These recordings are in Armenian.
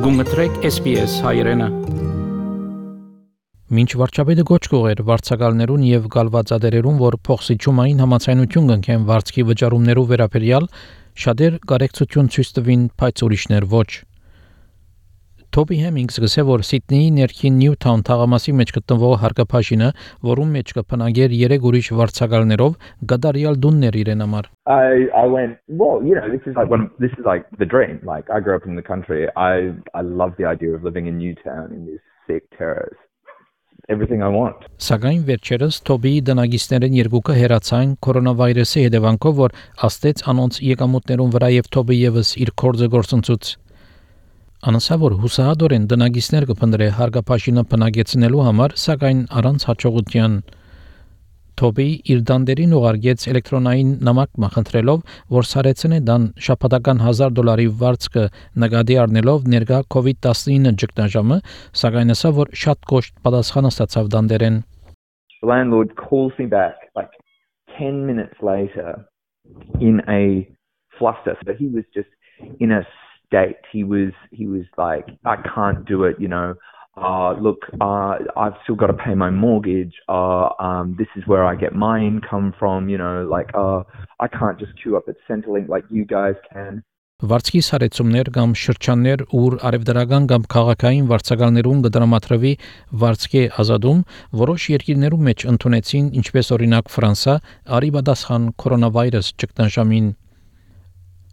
Գումտրեք SPS հայրենը։ Մինչ վարչապետը գոչ կողեր վարձակալներուն եւ գալվածադերերուն, որ փոխսիջումային համացայնություն կնքեն վարձքի վճարումներու վերաբերյալ, շատեր կարեկցություն ցույց տվին, բայց ուրիշներ ոչ։ Թոբի Հեմինգսը գսե, որ Սիդնեի ներքին Նյութաուն թաղամասի մեջ գտնվող հարկապաշինը, որում մեջ կփնագեր 3 ուրիշ վարձակալներով, գդարյալ դուններ իրեն համար։ I went, well, this is like the dream. Like I grew up in the country. I love the idea of living in Newtown in these sick terrace. Everything I want. Սակայն վերջերս Թոբիի դնագիստներն երկուքը հերացան կորոնավիրուսի հետևանքով, որ աստեց անոնց եկամուտներուն վրա եւ Թոբի եւս իր կորձը գործընծուց։ Անասա որ հուսահատորեն դնագիստներ կփնտրե հարկապաշինը բնագեցնելու համար, սակայն առանց հաջողության։ Թոբի իր դանդերին ուղարկեց էլեկտրոնային նամակ մախնդրելով, որ սարեցնե դան շաբաթական $1,000 վարձքը նկատի առնելով ներկա COVID-19 ճգնաժամը, սակայն ասա որ շատ կոշտ պատասխան ստացավ դանդերեն։ The landlord calls me back like 10 minutes later in a fluster. So he was just in a state. He was like, I can't do it, look, I've still got to pay my mortgage. This is where I get my income from, I can't just queue up at Centrelink like you guys can. Վարձքի սարեցումներ կամ շրջաններ, ուր արևդրական կամ քաղաքային վարձակալներուն կդրամատրվի վարձքի ազատում, որոշ երկիրներում մեջ ընդունեցին, ինչպես օրինակ Ֆրանսա, արիբադասխան կորոնավիրուս ճգնաժամին։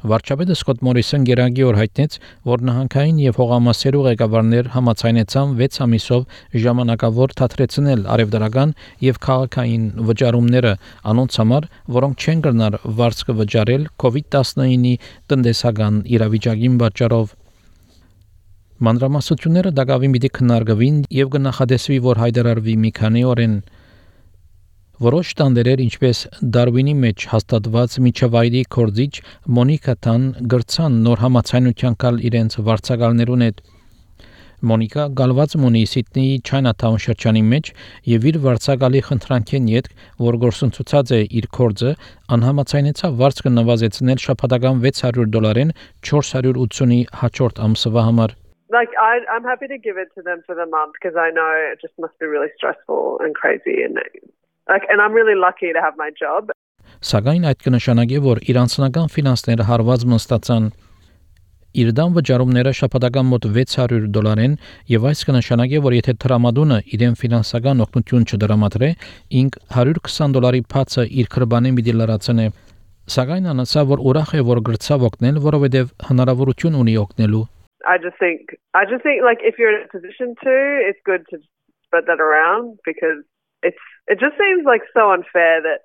Վարչապետը Սկոտ Մորիսոն գերագի օր հայտնեց, որ նահանգային եւ հողամասերու ղեկավարներ համաձայնեցան 6 ամիսով ժամանակավոր թատրեցնել արևդրական եւ քաղաքային վճարումները անոնց համար, որոնք չեն կրնար վարձքը վճարել COVID-19-ի տնտեսական իրավիճակին պատճառով։ Մանրամասնությունները դակավին պիտի քննարկվին եւ կնախադեсվի, որ հայտարարվի մի քանի օրեն։ Որոշ տանդերեր, ինչպես Դարվինի մեջ հաստատված միջավայրի կորձիչ Մոնիկա Տան գրցան նոր համացայնության կալ իրենց վարձակալներուն հետ։ Մոնիկա գալված մունի Սիդնեի Չայնաթաուն շրջանի մեջ եւ իր վարձակալի խնդրանքեն յետ, որ գործընծուցած է իր կորձը, անհամացայնեցավ վարձքը նվազեցնել շաբաթական $600-ին 480-ի հաջորդ ամսվա համար։ Like I'm happy to give it to them for the month because I know it just must be really stressful and crazy and I'm really lucky to have my job. Սակայն այդ կնշանակի, որ իր անձնական ֆինանսները հարված մնացան։ Իր դան վճարումները շաբաթական մոտ $600-են եւ այս կնշանակի, որ եթե տրամադունը իրեն ֆինանսական օգնություն չդրամատրե, ինք $120 փածը իր քրբանին պիտի լրացնե։ Սակայն անասա, որ ուրախ է, որ գրծավ օգնել, որովհետեւ հնարավորություն ունի օգնելու։ I just think like if you're in a position to, it's good to spread that around because it just seems like so unfair that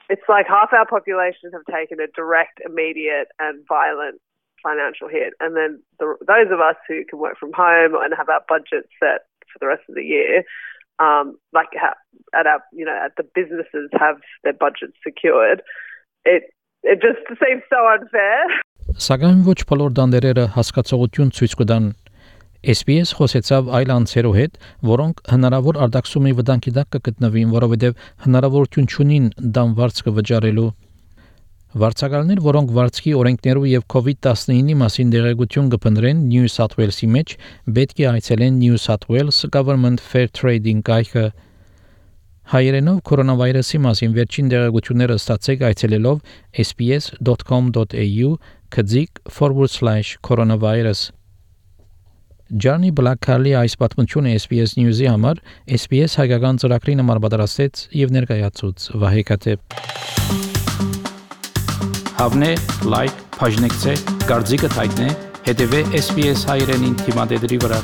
it's like half our population have taken a direct, immediate and violent financial hit. And then those of us who can work from home and have our budget set for the rest of the year, at the businesses have their budgets secured. It just seems so unfair. Սակայն ոչ բոլոր դանդերերը հասկացողություն ցույց կտան։ SPS խոսեցավ այլ անձերու հետ, որոնք հնարավոր արտաքսումի վտանգի տակ կգտնվին, որովհետև հնարավորություն չունին դան վարձքը վճարելու։ Վարձակալներ, որոնք վարձքի օրենքներու եւ COVID-19-ի մասին դեղեցություն կփնտրեն New South Wales-ի մեջ, պետք է այցելեն New South Wales Government Fair Trading կայքը։ Հայերենով կորոնավիրուսի մասին վերջին դեղեցությունները ստացեք այցելելով sps.com.au/coronavirus։ Ջանի Բլակքալի այս պատմությունը SPS News-ի համար SPS հայկական ծրագրի համար պատրաստեց եւ ներկայացուց Վահե Կատեփ։ Հավնե, լայք, բաժնեկցե, դարձիկը թայտնե, հետեւե SPS հայրենին թիմադեդի վրա։